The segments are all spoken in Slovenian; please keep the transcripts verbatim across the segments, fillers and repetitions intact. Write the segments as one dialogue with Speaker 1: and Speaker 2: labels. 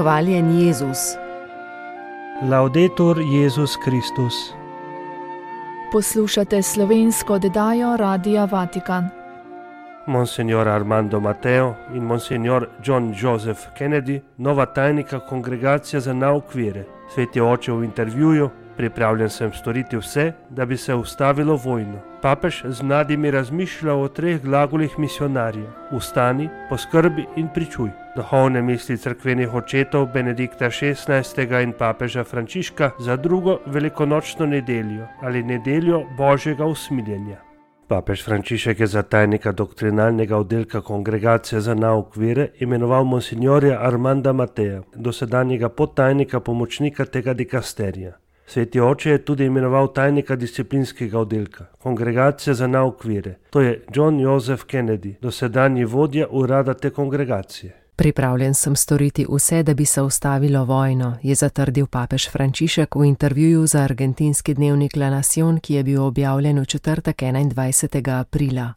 Speaker 1: Hvaljen Jezus.
Speaker 2: Laudetur Jezus Kristus.
Speaker 1: Poslušate slovensko oddajo Radia Vatikan.
Speaker 2: Monsignor Armando Matteo in Monsignor John Joseph Kennedy, nova tajnika Kongregacije za nauk vere. Sveti oče v intervjuju: pripravljen sem storiti vse, da bi se ustavilo vojno. Papež z mladimi razmišlja o treh glagolih misionarjev: ustani, poskrbi in pričuj. Duhovne misli cerkvenih očetov Benedikta šestnajstega in papeža Frančiška za drugo velikonočno nedeljo ali nedeljo Božjega usmiljenja. Papež Frančišek je za tajnika doktrinalnega oddelka Kongregacije za nauk vere imenoval monsignorja Armanda Mattea, dosedanjega podtajnika pomočnika tega dikasterija. Sveti oče je tudi imenoval tajnika disciplinskega oddelka Kongregacije za nauk vere. To je John Joseph Kennedy, dosedanji vodja urada te kongregacije.
Speaker 3: Pripravljen sem storiti vse, da bi se ustavilo vojno, je zatrdil papež Frančišek v intervjuju za argentinski dnevnik La Nación, ki je bil objavljen v četrtek enaindvajsetega aprila.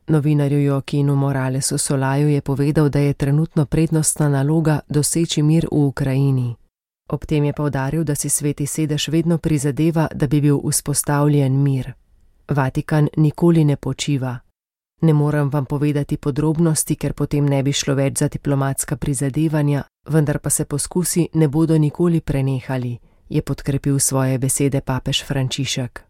Speaker 3: Novinarju Joaquinu Moralesu Solaju je povedal, da je trenutno prednostna naloga doseči mir v Ukrajini. Ob tem je poudaril, da si Sveti sedež vedno prizadeva, da bi bil vzpostavljen mir. Vatikan nikoli ne počiva. Ne morem vam povedati podrobnosti, ker potem ne bi šlo več za diplomatska prizadevanja, vendar pa se poskusi ne bodo nikoli prenehali, je podkrepil svoje besede papež Frančišek.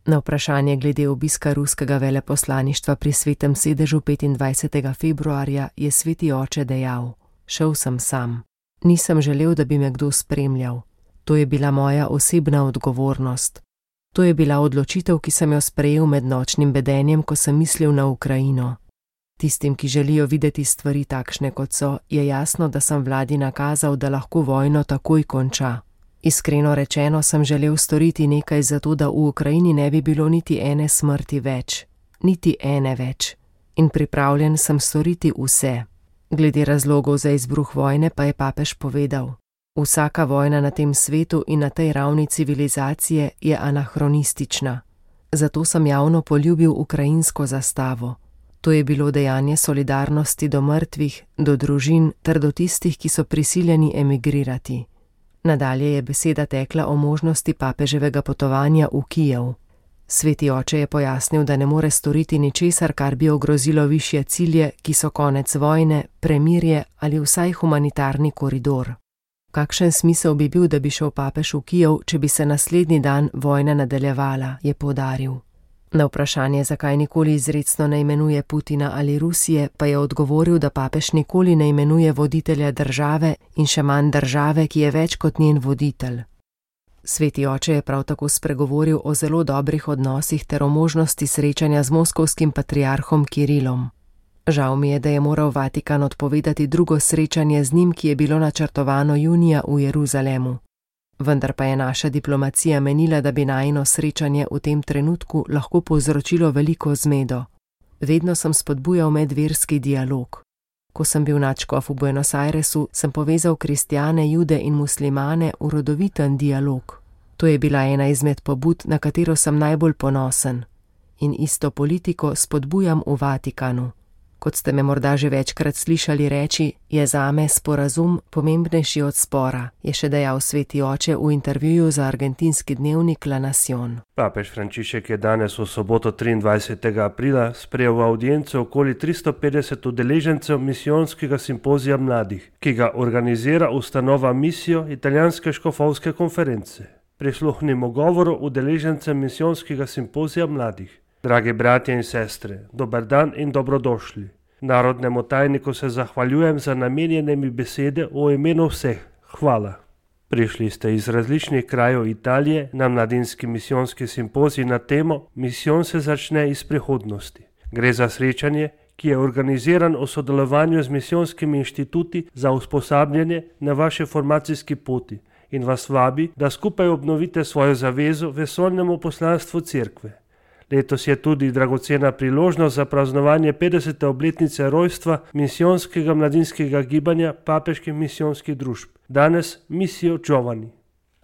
Speaker 3: Na vprašanje glede obiska ruskega veleposlaništva pri Svetem sedežu petindvajsetega februarja je Sveti oče dejal: šel sem sam. Nisem želel, da bi me kdo spremljal. To je bila moja osebna odgovornost. To je bila odločitev, ki sem jo sprejel med nočnim bedenjem, ko sem mislil na Ukrajino. Tistim, ki želijo videti stvari takšne, kot so, je jasno, da sem vladi nakazal, da lahko vojno takoj konča. Iskreno rečeno sem želel storiti nekaj za to, da v Ukrajini ne bi bilo niti ene smrti več. Niti ene več. In pripravljen sem storiti vse. Glede razlogov za izbruh vojne pa je papež povedal: vsaka vojna na tem svetu in na tej ravni civilizacije je anahronistična. Zato sem javno poljubil ukrajinsko zastavo. To je bilo dejanje solidarnosti do mrtvih, do družin ter do tistih, ki so prisiljeni emigrirati. Nadalje je beseda tekla o možnosti papeževega potovanja v Kijev. Sveti oče je pojasnil, da ne more storiti ničesar, kar bi ogrozilo višje cilje, ki so konec vojne, premirje ali vsaj humanitarni koridor. Kakšen smisel bi bil, da bi šel papež v Kijev, če bi se naslednji dan vojna nadaljevala, je poudaril. Na vprašanje, zakaj nikoli izrecno ne imenuje Putina ali Rusije, pa je odgovoril, da papež nikoli ne imenuje voditelja države in še manj države, ki je več kot njen voditelj. Sveti oče je prav tako spregovoril o zelo dobrih odnosih ter o možnosti srečanja z moskovskim patriarhom Kirilom. Žal mi je, da je moral Vatikan odpovedati drugo srečanje z njim, ki je bilo načrtovano junija v Jeruzalemu. Vendar pa je naša diplomacija menila, da bi najino srečanje v tem trenutku lahko povzročilo veliko zmedo. Vedno sem spodbujal medverski dialog. Ko sem bil nadškof v Buenos Airesu, sem povezal kristjane, jude in muslimane v rodoviten dialog. To je bila ena izmed pobud, na katero sem najbolj ponosen. In isto politiko spodbujam v Vatikanu. Kot ste me morda že večkrat slišali reči, je zame sporazum pomembnejši od spora, je še dejal Sveti oče v intervjuju za argentinski dnevnik La Nación.
Speaker 2: Papež Frančišek je danes v soboto triindvajsetega aprila sprejel v avdienco okoli tristo petdeset udeležencev misijonskega simpozija mladih, ki ga organizira ustanova Misijo italijanske škofovske konference. Prisluhnimo govoru udeležencem misijonskega simpozija mladih. Dragi bratje in sestre, dober dan in dobrodošli. Narodnemu tajniku se zahvaljujem za namenjene mi besede v imenu vseh. Hvala. Prišli ste iz različnih krajev Italije na mladinski misijonski simpozij na temo Misijon se začne iz prihodnosti. Gre za srečanje, ki je organiziran v sodelovanju z misijonskimi inštituti za usposabljanje na vaši formacijski poti in vas vabi, da skupaj obnovite svojo zavezo vesoljnemu poslanstvu cerkve. Letos je tudi dragocena priložnost za praznovanje petdesete obletnice rojstva misijonskega mladinskega gibanja papeških misijonskih družb, danes Misijo Giovani.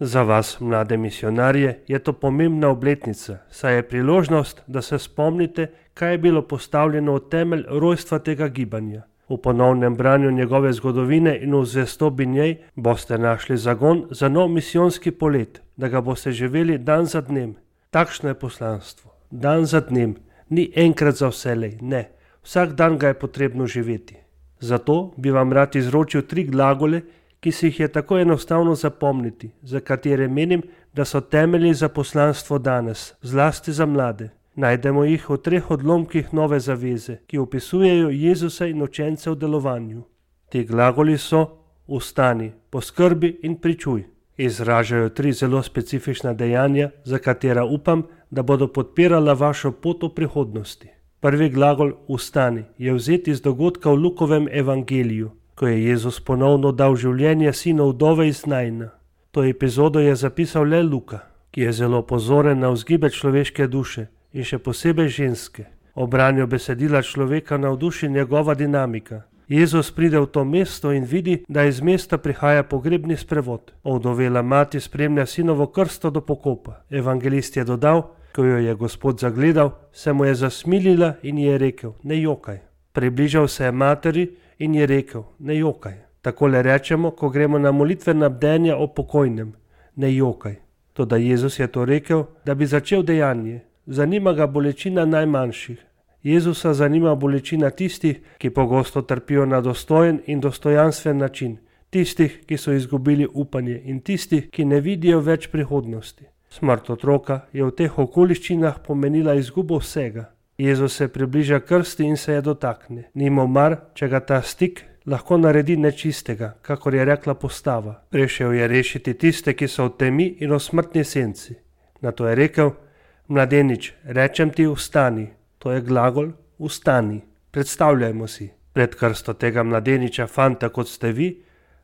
Speaker 2: Za vas, mlade misionarje, je to pomembna obletnica, saj je priložnost, da se spomnite, kaj je bilo postavljeno v temelj rojstva tega gibanja. V ponovnem branju njegove zgodovine in v zvestobi njej boste našli zagon za nov misijonski polet, da ga boste živeli dan za dnem. Takšno je poslanstvo. Dan za dnem. Ni enkrat za vselej, ne. Vsak dan ga je potrebno živeti. Zato bi vam rad izročil tri glagole, ki si jih je tako enostavno zapomniti, za katere menim, da so temelji za poslanstvo danes, zlasti za mlade. Najdemo jih v treh odlomkih Nove zaveze, ki opisujejo Jezusa in učence v delovanju. Ti glagoli so vstani, poskrbi in pričuj. Izražajo tri zelo specifična dejanja, za katera upam, da bodo podpirala vašo pot v prihodnosti. Prvi glagol vstani je vzet iz dogodka v Lukovem evangeliju, ko je Jezus ponovno dal življenje sinu vdove iz Naina. To epizodo je zapisal le Luka, ki je zelo pozoren na vzgibe človeške duše in še posebej ženske. Ob branju besedila človeka navduši njegova dinamika. Jezus pride v to mesto in vidi, da iz mesta prihaja pogrebni sprevod. Ovdovela mati spremlja sinovo krsto do pokopa. Evangelist je dodal, ko jo je Gospod zagledal, se mu je zasmilila in je rekel, ne jokaj. Približal se je materi in je rekel, ne jokaj. Takole rečemo, ko gremo na molitvena bdenja o pokojnem, ne jokaj. Toda Jezus je to rekel, da bi začel dejanje. Zanima ga bolečina najmanjših. Jezusa zanima bolečina tistih, ki pogosto trpijo na dostojen in dostojanstven način, tistih, ki so izgubili upanje in tistih, ki ne vidijo več prihodnosti. Smrt otroka je v teh okoliščinah pomenila izgubo vsega. Jezus se približa krsti in se je dotakne. Ni mu mar, če ga ta stik lahko naredi nečistega, kakor je rekla postava. Prišel je rešiti tiste, ki so v temi in v smrtni senci. Nato je rekel, mladenič, rečem ti vstani. To je glagol vstani. Predstavljajmo si, pred krsto tega mladeniča, fanta kot ste vi,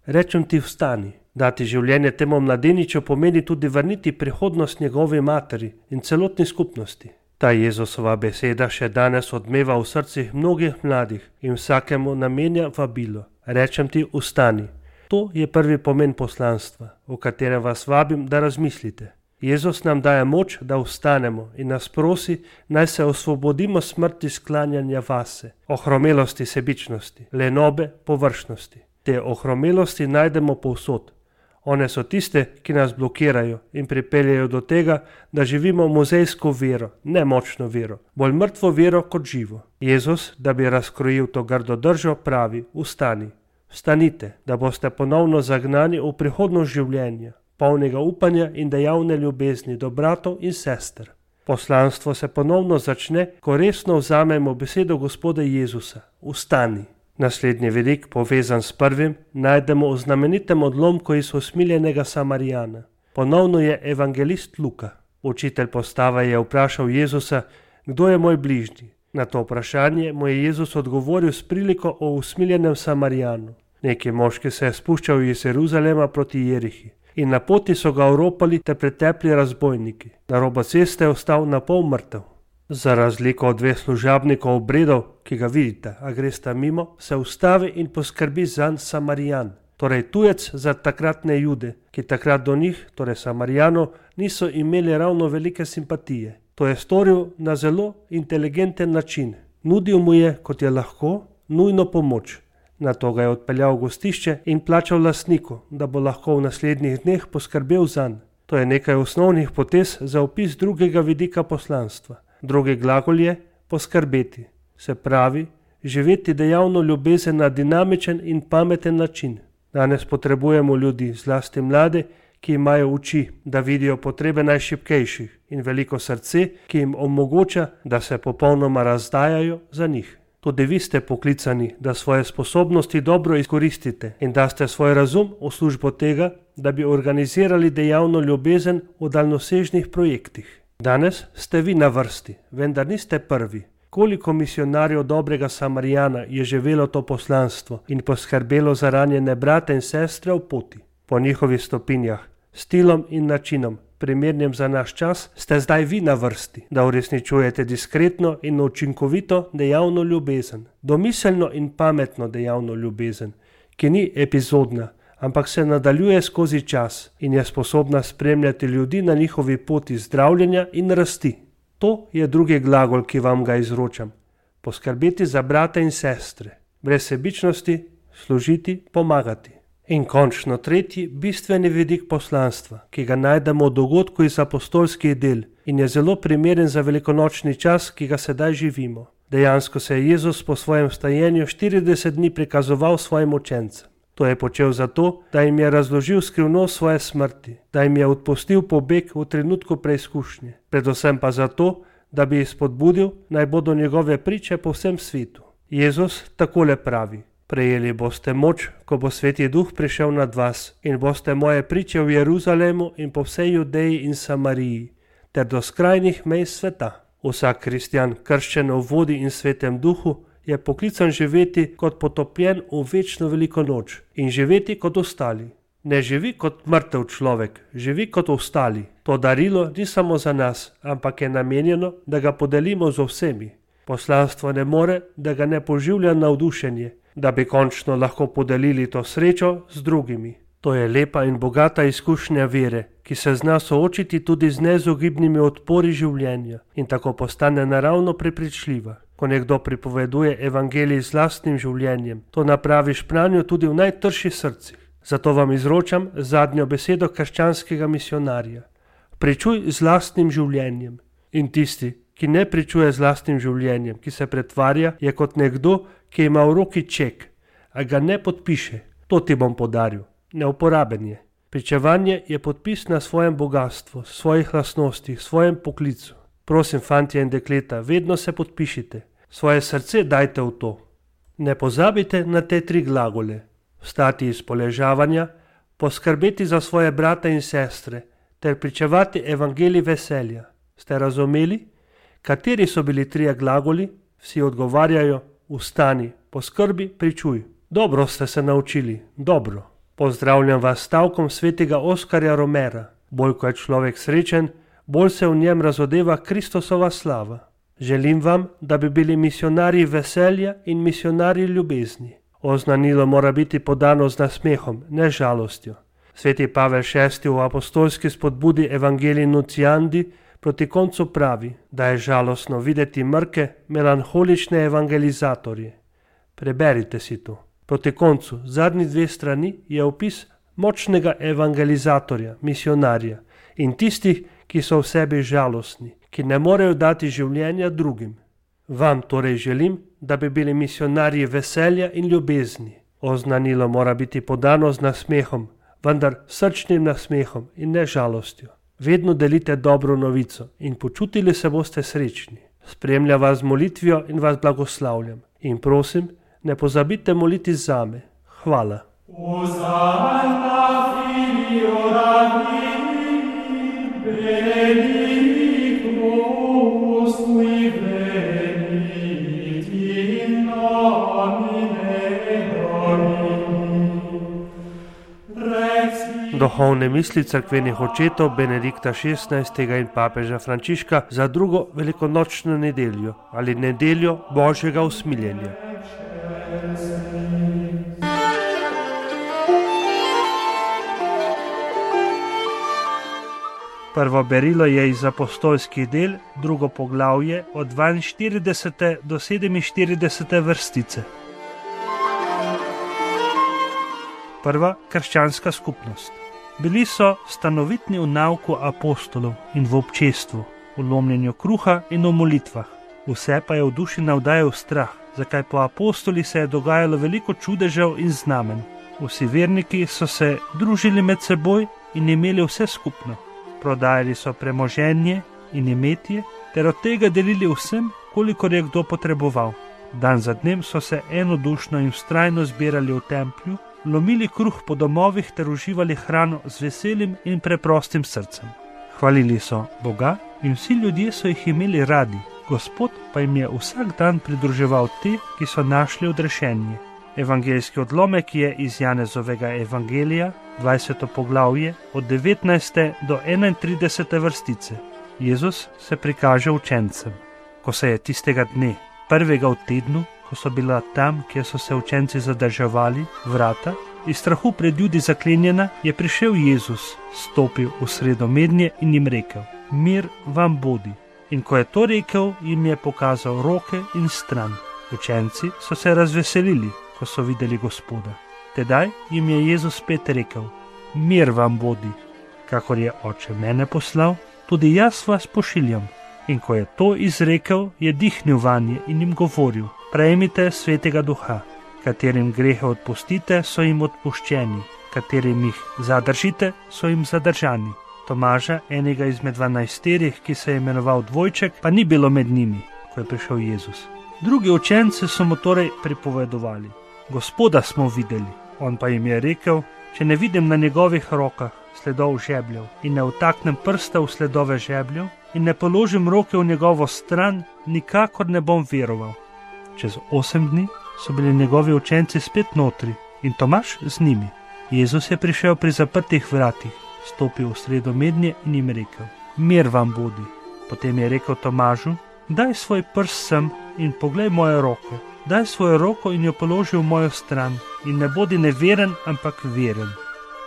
Speaker 2: rečem ti vstani. Dati življenje temu mladeniču pomeni tudi vrniti prihodnost njegovi materi in celotni skupnosti. Ta Jezusova beseda še danes odmeva v srcih mnogih mladih in vsakemu namenja vabilo. Rečem ti vstani. To je prvi pomen poslanstva, o katerem vas vabim, da razmislite. Jezus nam daje moč, da vstanemo in nas prosi, naj se osvobodimo smrti sklanjanja vase, ohromelosti sebičnosti, lenobe, površnosti. Te ohromelosti najdemo povsod. One so tiste, ki nas blokirajo in pripeljajo do tega, da živimo muzejsko vero, ne močno vero, bolj mrtvo vero kot živo. Jezus, da bi razkrojil to grdo držo, pravi, vstani. Vstanite, da boste ponovno zagnani v prihodnost življenja, polnega upanja in dejavne ljubezni do bratov in sester. Poslanstvo se ponovno začne, ko resno vzamemo besedo Gospoda Jezusa. Vstani. Naslednji vidik, povezan s prvim, najdemo v znamenitem odlomku iz usmiljenega Samarijana. Ponovno je evangelist Luka. Učitelj postave je vprašal Jezusa, kdo je moj bližnji. Na to vprašanje mu je Jezus odgovoril s priliko o usmiljenem Samarijanu. Neki moški se je spuščal iz Jeruzalema proti Jerihi. In na poti so ga oropali te pretepli razbojniki. Na robu ceste je ostal na pol mrtev. Za razliko od dveh služabnikov obredov, ki ga vidite, a gresta mimo, se ustavi in poskrbi zanj Samarijan, torej tujec za takratne Jude, ki takrat do njih, torej Samarijanov, niso imeli ravno velike simpatije. To je storil na zelo inteligenten način. Nudil mu je, kot je lahko, nujno pomoč. Nato ga je odpeljal v gostišče in plačal lastniku, da bo lahko v naslednjih dneh poskrbel zanj. To je nekaj osnovnih potez za opis drugega vidika poslanstva. Drugi glagol je poskrbeti, se pravi, živeti dejavno ljubezen na dinamičen in pameten način. Danes potrebujemo ljudi, zlasti mlade, ki imajo oči, da vidijo potrebe najšibkejših in veliko srce, ki jim omogoča, da se popolnoma razdajajo za njih. Tudi vi ste poklicani, da svoje sposobnosti dobro izkoristite in da ste svoj razum v službo tega, da bi organizirali dejavno ljubezen v daljnosežnih projektih. Danes ste vi na vrsti, vendar niste prvi. Koliko misionarjev dobrega Samarijana je živelo to poslanstvo in poskrbelo za ranjene brate in sestre v poti. Po njihovih stopinjah, stilom in načinom, primernim za naš čas, ste zdaj vi na vrsti, da uresničujete diskretno in učinkovito dejavno ljubezen, domiselno in pametno dejavno ljubezen, ki ni epizodna, ampak se nadaljuje skozi čas in je sposobna spremljati ljudi na njihovi poti zdravljenja in rasti. To je drugi glagol, ki vam ga izročam. Poskrbeti za brate in sestre. brez sebičnosti, služiti, pomagati. In končno tretji, bistveni vidik poslanstva, ki ga najdemo v dogodku iz apostolskih del in je zelo primeren za velikonočni čas, ki ga sedaj živimo. Dejansko se je Jezus po svojem vstajenju štirideset dni prikazoval svojim učencem. To je počel zato, da jim je razložil skrivnost svoje smrti, da jim je odpustil pobeg v trenutku preizkušnje, predvsem pa zato, da bi jih spodbudil, naj bodo njegove priče po vsem svetu. Jezus takole pravi: prejeli boste moč, ko bo Sveti Duh prišel nad vas, in boste moje priče v Jeruzalemu in po vsej Judeji in Samariji, ter do skrajnih mej sveta. Vsak kristjan, krščen v vodi in Svetem Duhu, je poklican živeti kot potopljen v večno veliko noč in živeti kot ostali. Ne živi kot mrtev človek, živi kot ostali. To darilo ni samo za nas, ampak je namenjeno, da ga podelimo z vsemi. Poslanstvo ne more, da ga ne poživlja navdušenje, da bi končno lahko podelili to srečo z drugimi. To je lepa in bogata izkušnja vere, ki se zna soočiti tudi z neizogibnimi odpori življenja in tako postane naravno prepričljiva. Ko nekdo pripoveduje evangelij z lastnim življenjem, to napravi špranjo tudi v najtršjih srcih. Zato vam izročam zadnjo besedo krščanskega misionarja. Pričuj z lastnim življenjem. In tisti, ki ne pričuje z lastnim življenjem, ki se pretvarja, je kot nekdo, ki ima v roki ček, a ga ne podpiše. To ti bom podaril. Neuporaben je. Pričevanje je podpis na svojem bogatstvu, svojih lastnostih, svojem poklicu. Prosim, fantje in dekleta, vedno se podpišite. Svoje srce dajte v to. Ne pozabite na te tri glagole. Vstati iz poležavanja, poskrbeti za svoje brate in sestre, ter pričevati evangelij veselja. Ste razumeli? Kateri so bili trije glagoli? Vsi odgovarjajo: vstani, poskrbi, pričuj. Dobro ste se naučili, dobro. Pozdravljam vas stavkom svetega Oskarja Romera. Bolj ko je človek srečen, bolj se v njem razodeva Kristosova slava. Želim vam, da bi bili misionarji veselja in misionarji ljubezni. Oznanilo mora biti podano z nasmehom, ne žalostjo. Sveti Pavel šesti v apostolski spodbudi Evangelii Nunciandi proti koncu pravi, da je žalostno videti mrke, melanholične evangelizatorje. Preberite si to. Proti koncu, zadnji dve strani, je opis močnega evangelizatorja, misionarja in tistih, ki so v sebi žalostni, ki ne morejo dati življenja drugim. Vam torej želim, da bi bili misionarji veselja in ljubezni. Oznanilo mora biti podano z nasmehom, vendar srčnim nasmehom in ne žalostjo. Vedno delite dobro novico in počutili se boste srečni. Spremlja vas z molitvijo in vas blagoslavljam. In prosim, ne pozabite moliti zame. Hvala. Duhovne misli cerkvenih očetov Benedikta šestnajstega in papeža Frančiška za drugo velikonočno nedeljo ali nedeljo Božjega usmiljenja. Prvo berilo je iz apostolskih del, drugo poglavje od dvainštiridesete do sedeminštiridesete vrstice. Prva krščanska skupnost. Bili so stanovitni v nauku apostolov in v občestvu, v lomljenju kruha in v molitvah. Vse pa je v duši navdajal strah, zakaj po apostoli se je dogajalo veliko čudežev in znamen. Vsi verniki so se družili med seboj in imeli vse skupno. Prodajali so premoženje in imetje ter od tega delili vsem, kolikor je kdo potreboval. Dan za dnem so se enodušno in vztrajno zbirali v templju, lomili kruh po domovih ter uživali hrano z veselim in preprostim srcem. Hvalili so Boga in vsi ljudje so jih imeli radi, Gospod pa jim je vsak dan pridruževal te, ki so našli odrešenje. Evangeljski odlomek je iz Janezovega evangelija, dvajseto poglavje, od devetnajste do enaintridesete vrstice. Jezus se prikaže učencem. Ko se je tistega dne, prvega v tednu, ko so bila tam, kjer so se učenci zadrževali, vrata, iz strahu pred ljudi zaklenjena, je prišel Jezus, stopil v sredo mednje in jim rekel: mir vam bodi. In ko je to rekel, jim je pokazal roke in stran. Učenci so se razveselili, ko so videli Gospoda. Tedaj jim je Jezus spet rekel: Mir vam bodi, kakor je Oče mene poslal, tudi jaz vas pošiljam. In ko je to izrekel, je dihnil vanje in jim govoril: Prejmite Svetega Duha, katerim grehe odpustite, so jim odpuščeni, katerim jih zadržite, so jim zadržani. Tomaža, enega izmed dvanajsterih, ki se je imenoval Dvojček, pa ni bilo med njimi, ko je prišel Jezus. Drugi učenci so mu torej pripovedovali: Gospoda smo videli. On pa jim je rekel: Če ne vidim na njegovih rokah sledov žebljev in ne vtaknem prsta v sledove žebljev in ne položim roke v njegovo stran, nikakor ne bom veroval. Čez osem dni so bili njegovi učenci spet notri in Tomaž z njimi. Jezus je prišel pri zaprtih vratih, stopil v sredo mednje in jim rekel: Mir vam bodi. Potem je rekel Tomažu: Daj svoj prst sem in poglej moje roke. Daj svojo roko in jo položi v mojo stran in ne bodi neveren, ampak veren.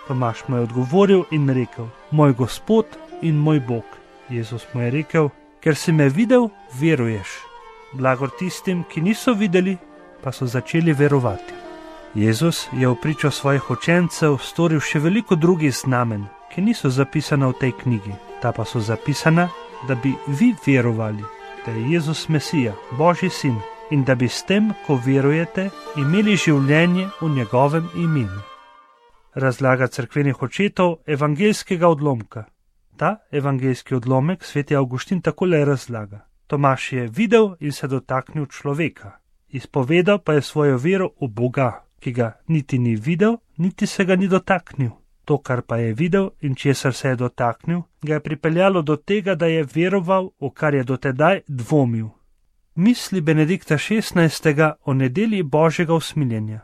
Speaker 2: Tomaž mu je odgovoril in rekel: Moj Gospod in moj Bog. Jezus mu je rekel: Ker si me videl, veruješ. Blagor tistim, ki niso videli, pa so začeli verovati. Jezus je v pričo svojih učencev storil še veliko drugih znamen, ki niso zapisana v tej knjigi. Ta pa so zapisana, da bi vi verovali, da je Jezus Mesija, Božji sin, in da bi s tem, ko verujete, imeli življenje v njegovem imenu. Razlaga cerkvenih očetov evangeljskega odlomka. Ta evangeljski odlomek sveti Avguštin takole razlaga: Tomaž je videl in se dotaknil človeka, izpovedal pa je svojo vero v Boga, ki ga niti ni videl, niti se ga ni dotaknil. To, kar pa je videl in česar se je dotaknil, ga je pripeljalo do tega, da je veroval, v kar je dotedaj dvomil. Misli Benedikta šestnajstega o nedelji Božjega usmiljenja.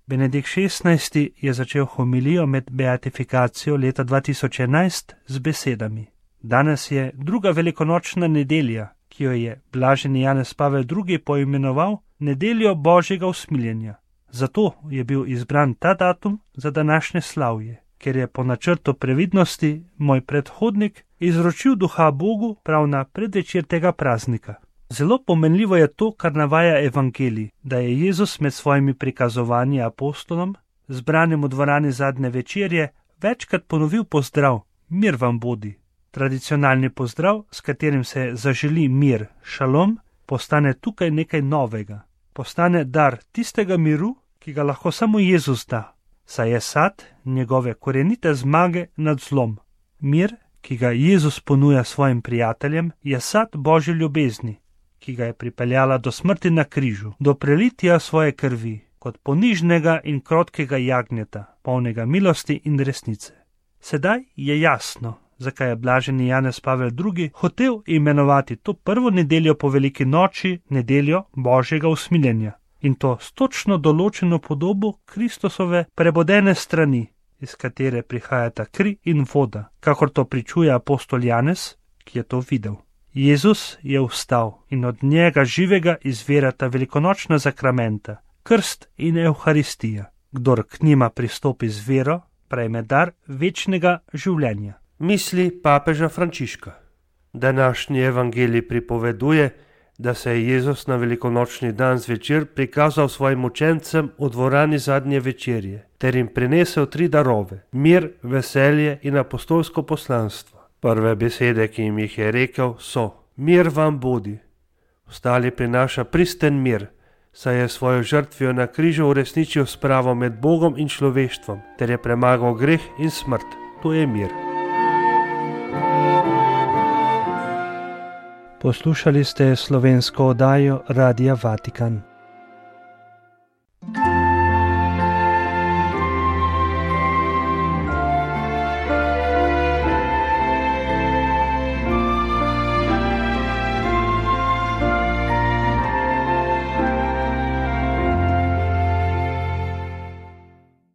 Speaker 2: Benedikt šestnajsti je začel homilijo med beatifikacijo leta dva tisoč enajst z besedami: Danes je druga velikonočna nedelja, ki jo je blaženi Janez Pavel drugi poimenoval nedeljo Božjega usmiljenja. Zato je bil izbran ta datum za današnje slavje, ker je po načrtu previdnosti moj predhodnik izročil duha Bogu prav na predvečer tega praznika. Zelo pomenljivo je to, kar navaja evangelij, da je Jezus med svojimi prikazovanji apostolom, zbranim v dvorani zadnje večerje, večkrat ponovil pozdrav: Mir vam bodi. Tradicionalni pozdrav, s katerim se zaželi mir, šalom, postane tukaj nekaj novega. Postane dar tistega miru, ki ga lahko samo Jezus da, saj je sad njegove korenite zmage nad zlom. Mir, ki ga Jezus ponuja svojim prijateljem, je sad Božje ljubezni, ki ga je pripeljala do smrti na križu, do prelitja svoje krvi, kot ponižnega in krotkega jagnjeta, polnega milosti in resnice. Sedaj je jasno, zakaj je blaženi Janez Pavel drugi hotel imenovati to prvo nedeljo po veliki noči nedeljo Božjega usmiljenja, in to s točno določeno podobo Kristusove prebodene strani, iz katere prihajata kri in voda, kakor to pričuje apostol Janez, ki je to videl. Jezus je vstal in od njega živega izvirata velikonočna zakramenta, krst in evharistija. Kdor k njima pristopi z vero, prejme dar večnega življenja.
Speaker 4: Misli papeža Frančiška. Današnji evangelij pripoveduje, da se je Jezus na velikonočni dan zvečer prikazal svojim učencem v dvorani zadnje večerje, ter jim prinesel tri darove: mir, veselje in apostolsko poslanstvo. Prve besede, ki jim jih je rekel, so: Mir vam bodi. Ostali prinaša pristen mir, saj je svojo žrtvijo na križu uresničil spravo med Bogom in človeštvom, ter je premagal greh in smrt. To je mir.
Speaker 2: Poslušali ste slovensko oddajo Radia Vatikan.